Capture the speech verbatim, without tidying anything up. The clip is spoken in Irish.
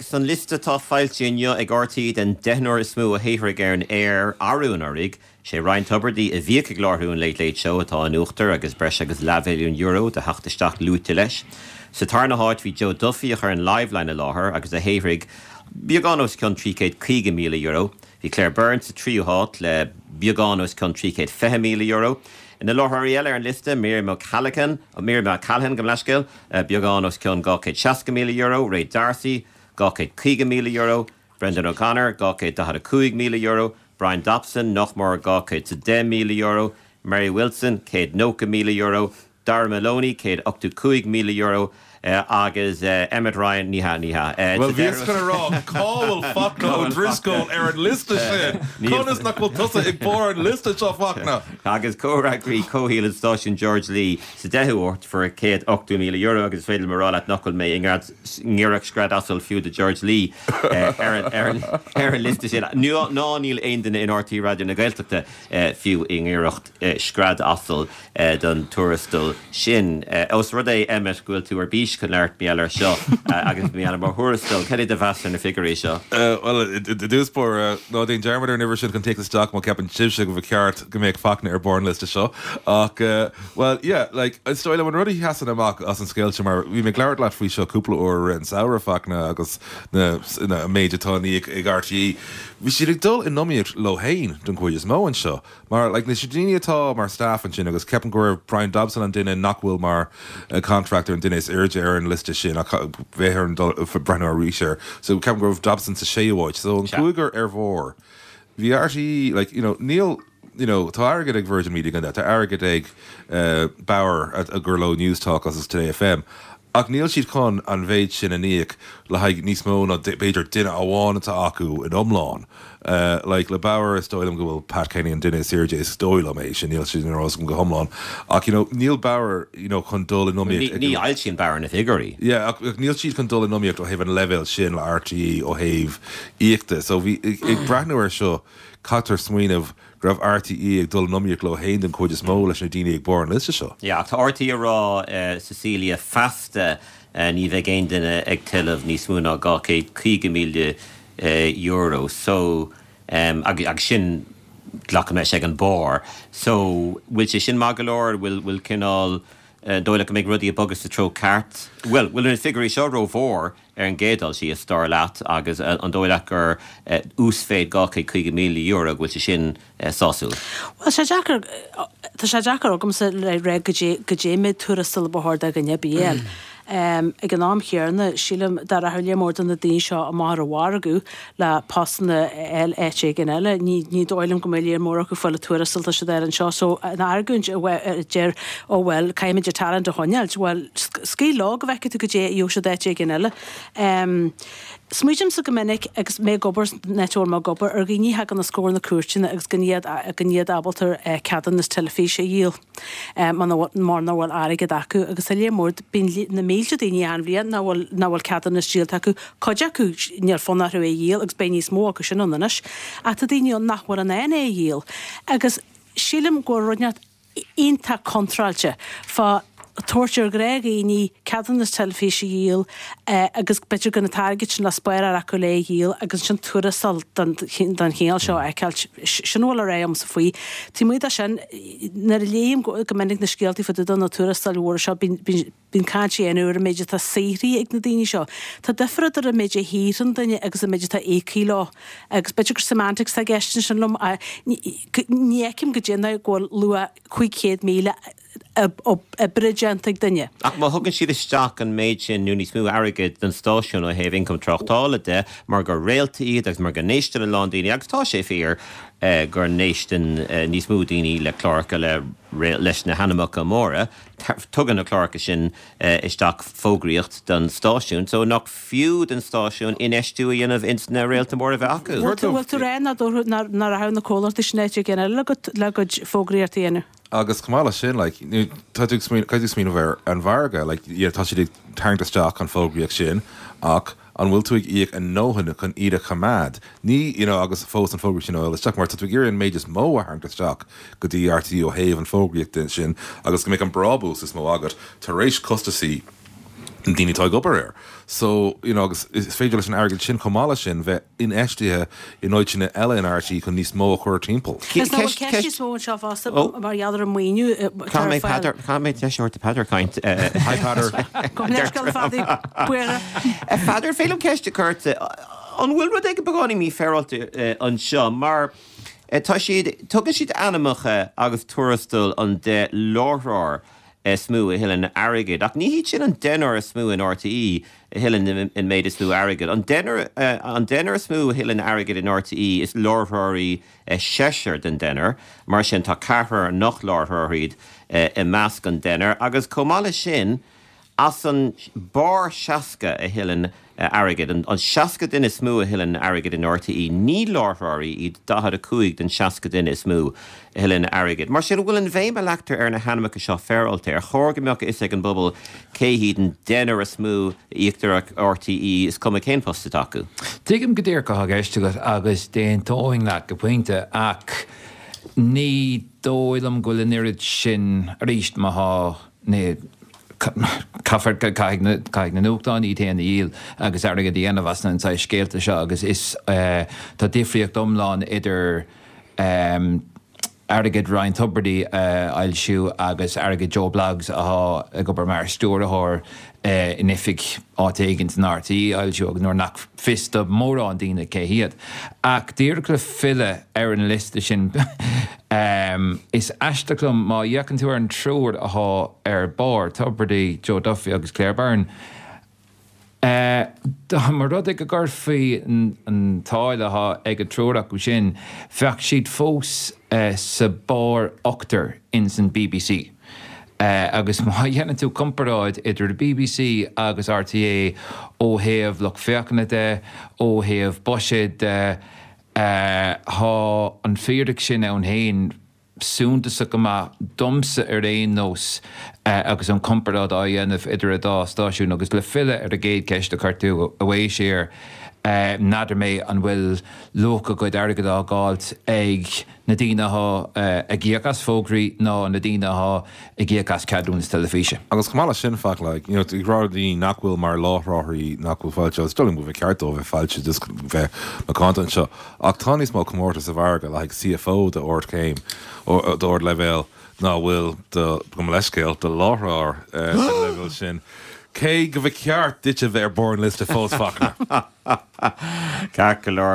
Anuraidh, san liosta atá foilsithe inniu ag R T É den deichniúr is mó a shaothraigh ar an aer arú anuraidh, sé Ryan Tubridy, a bhíodh ag láithriú an Late Late Show, atá in uachtar agus breis agus leathmhilliún euro de theacht isteach luaite leis. Sa tarna háit bhí Joe Duffy, a chuir an Liveline i láthair agus a shaothraigh beagán os cionn trí chéad caoga míle euro. Bhí Claire Byrne sa tríú háit le beagán os cionn trí chéad fiche míle euro. Na láithreoirí eile ar an liosta: Miriam O'Callaghan, Miriam O'Callaghan, gabh mo leithscéal, beagán os cionn dhá chéad seasca míle euro, Ray D'Arcy dhá chéad caoga míle euro, Brendan O'Connor dhá chéad daichead a cúig míle euro, Brian Dobson nach mór dhá chéad deich míle euro, Mary Wilson céad nócha míle euro, Dara Moloney céad ochtó cúig míle euro agus Emmet Ryan, ní hea, ní hea. Well, bhí chun rá cá bhfuil Fachtna Ó Drisceoil ar an liosta sin? Conas nach bhfuil tusa ag barr an liosta seo, Fachtna? Agus comhfhreagraí comhshaoil an stáisiúin George Lee sa deichiú háit fuair céad ochtó míle euro, agus féidir rá leat nach bhfuil mé i ngiorracht scread asail fiú do George Lee ar ar an liosta sin. Ná níl aon duine in R T É Raidió na Gaeltachta fiú i ngiorracht scread asail don tuarastal sin. Os rud é, Emmet, go bhfuil tú ar bís chun labhairt mar gheall air seo agus mar gheall mar thuarastal, cad é do mheas ar na figiúirí seo? Well, i dtús báire, ná déan dearmad ar an uimhir sin chun téacs isteach má cheapann sibhse go ceart go mbeadh Fachtna ar barr an liosta seo ach uh, well, yeah, like, is dóigh liom an rud a sheasann amach as an scéal seo, mar bhí mé ag labhairt leat faoi seo cúpla uair an samhradh, Fachtna, agus na, na méid atá á íoc ag R T É, bhí siad ag dul in iomaíocht leo féin don chuid is mó anseo. Mar like, na daoine atá mar staff ansin, agus ceapaim go raibh Brian Dobson an duine nach bhfuil mar uh, contractor, an duine is airde ar an liosta sin, ach bheith ar an breathnú arís air. So ceapaim go raibh Dobson sa séú háit, so an cúigear ar bharr. Bhí R T É, like, you know, níl you know, tá airgead ag Virgin Media gan tá airgead ag uh, Bauer a, a gur leo Newstalk agus Today F M. Ach níl siad chun an mhéid sin a íoc le haghaidh níos mó ná b'fhéidir duine amháin atá acu in iomlán. Uh, like le Bauer, is dóigh liom go bhfuil Pat Kenny an duine is airde, is dóigh liom é sin, níl sin rás go hiomlán. Ach you know, níl Bauer you know, chun dul in iomaíocht. Ní fhoilsíonn Bauer na figiúirí. Yeah, ach, ach níl siad chun dul in iomaíocht ó thaobh an leibhéal sin le R T É ó thaobh íoca. So bhí ag breathnú ar seo, caithfear smaoineamh go raibh R T É ag dul in iomaíocht leo féin den chuid is mó leis na daoine ag barr an liosta seo. Ja, tá R T É ag rá, uh, Cecilia, feasta uh, ní bheidh aon duine ag tuilleamh níos mó ná dhá chéad caoga míle euro. So um, ag, ag sin glacaim leis ag an barr. So bhfuil sé sin maith go leor, bhfuil bhfuil cineál uh, dóigh go mbeidh rudaí ag bogadh sa treo ceart? Well, bhfuil na figiúirí seo rómhór ar an gcéad dul síos, dar leat, agus uh, an dóigh leat gur uh, uasmhéid dhá chéad caoga míle euro, bhfuil sé sin uh, sásúil? Well, sé deacair tá sé deacair agamsa le rá go dé mé tuarastal ba chóir do dhuine bíel. Um, ag an am chéanna, sílim dá rachadh mór de na daoine seo amach ar an mhargadh le postanna eile éigin eile, ní ní dóigh liom go mbeidh mór acu fáil tuarastal tá siad ar an seo, so an argóint a deir ó well caithfimid an talent a choinneáil, well, scaoil leo go bhfeicfidh tú go dté ó siad éigin eile. Um, Smaoinímse go minic agus mé ag obair netúir má gobar ar dhaoine thagann os comhair na cúirte agus gan iad gan iad ábalta ceadúnas teilifíse a dhíol mar nach bhfuil airgead acu, agus a lé mór bíonn na mílte daoine an bhliain nach bhfuil nach bhfuil ceadúnas díolta acu. Cuid acu níl fonn orthu é dhíol agus beidh níos mó acu sin anois, ach tá daoine nach bhfuil an é é dhíol. Agus sílim go rud iontach contráilte fá tabhairt ar ghnáthdaoine ceadúnas teilifíse a dhíol agus b'fhéidir gan an t-airgead sin le spáráil acu le dhíol agus sin tuarastal den chineál seo a fheiceáil, sin bhfuil a réim sa faoi. Tí mu sin nar léim go minic na scéaltaí fa na tuarastal mhór seo, bíonn caint ar an méid atá saothraithe ag na daoine seo. Tá difear idir an méid a shaothraíonn duine agus an méid atá íoctha leo, agus b'fhéidir gur semantics a gceistin sin liom. Ní fheicim go déanamh go bhfuil luach cúig chéad míle oibre déanta ag duine. Ach má thugann siad isteach an méid sin nó níos mó airgid don stáisiún ó thaobh ioncam tráchtála de, mar gur réalta iad agus mar go n-éisteann a lán daoine, agus tá sé fíor eh, gur n-éisteann eh, níos mó daoine le cláracha le leis na hainmneacha móra, tugann na cláracha sin eh, isteach fógraíocht don stáisiún, so nach fiú den stáisiún infheistiú a dhéanamh ins na réalta móra bheith acu. Bhfuil tú rá ná rachadh na comhlachtaí sin áit eile le go fógraíocht a dhéanamh? Agus chomh maith leis sin, like, tá tú smaoineamh ar an mhargadh, like, yeah, tá siad ag tarraingt isteach an fógraíocht sin, ach an bhfuil tú ag íoc a ndóthain chun iad a choimeád? Ní you know, agus fós an fógraíocht sin isteach, mar tá tú ag iarraidh an méid is mó a tharraingt isteach go dtí R T É ó thaobh an fógraíocht sin agus go mbeidh an brabús is mó agat tar éis costasaí na daoine atá ag obair air. So, you know, agus is féidir leis an airgead sin chomh maith leis sin bheith infheistithe in áiteanna eile in RTÉ chun níos mó a chur timpeall. Is ná bhfuil ceist níos mó anseo fosta mar gheall ar an maoiniú atá ar fáil. Caithfidh mé deis a thabhairt do Peadar caint. Hi Peadar. Gabh mo leithscéal a Phadaí. Buíochas. A Pheadair, féidir liom ceist a chur ort? An bhfuil rud éigin beagáinín mífhéaráilte anseo mar tá siad, tugann siad ainmneacha agus tuarastail an deich láithreoir is mó a thuilleann airgead. Ach ní hiad sin an deichniúr is mó in RTÉ a thuilleann an méid is mó airgid. An deichniúr an deichniúr is mó a thuilleann airgead in RTÉ is láithreoirí seisear den deichniúr. Mar sin tá ceathrar nach láithreoirí iad i measc an deichniúr. Agus chomh maith leis sin, as an barr seasca a thuilleann airgead, an seasca duine is mó a thuilleann airgead in RTÉ, ní láithreoirí iad daichead a cúig den seasca duine is mó a thuilleann airgead. Mar sin, an bhfuil an bhéim a leagtar ar na hainmneacha seo féaráilte? Ar chóir go mbeadh a fhios ag an bpobal cé hiad an deichniúr is mó a íoctar ag RTÉ, is cuma cén post atá acu? Tuigim go díreach cad atá i gceist agat agus d'aontóinn leat go pointe ach ní dóigh liom go bhfuil an oiread sin, arís, má thá, ní, caithfear, caithfidh na, caithfidh na nuachtáin iad féin a dhíol agus airgead a dhéanamh as na saghas scéalta seo agus is, tá difríocht iomlán idir airgead Ryan Tubridy a fhoilsiú agus airgead Joe Bloggs atá ag obair mar stiúrthóir in oifig áit éigin san RTÉ a fhoilsiú agus nuair nach fios do mhórán daoine cé hiad. Ach díreach le filleadh ar an liosta sin, is aisteach liom má fhéachann tú ar an triúr athá ar barr, Tubridy, Joe Duffy agus Claire Byrne, dá mba rud é go gcuirfí an táille athá ag an triúr acu sin, bheadh siad fós sa barr ochtar ins an bbc. Agus má dhéanann tú comparáid idir bbc agus RTÉ ó thaobh lucht féachana de, ó thaobh buiséid de, thá an fíric sin ann féin suntasach go maith, domsa ar aon nós, agus an comparáid á dhéanamh idir an dá stáisiún. Agus le filleadh ar an gcéad cheist a chuir tú, a Mhaoisir, n'fheadar mé an bhfuil luach a gcuid airgid á dh'fháilt ag na daoine athá ag íoc as fógraí ná na daoine athá ag íoc as ceadúnas teilifíse. Agus chomh maith leis sin, fact, like, you know, ag rá daoine nach bhfuil mar láithreoirí nach bhfuil foilsithe, is dóigh liom go bhfuil ceart dóibh bheith foilsithe just bheith macánta anseo, ach tá níos mó comórtas sa mhargadh le haghaidh CFO d'ardchéim, d'ardleibhéal ná bhfuil do, gabh mo leithscéal, do láithreoir den leibhéal sin. Cé go mba cheart duit a bheith ar barr an liosta fós, Fachtna. Ceart go leor.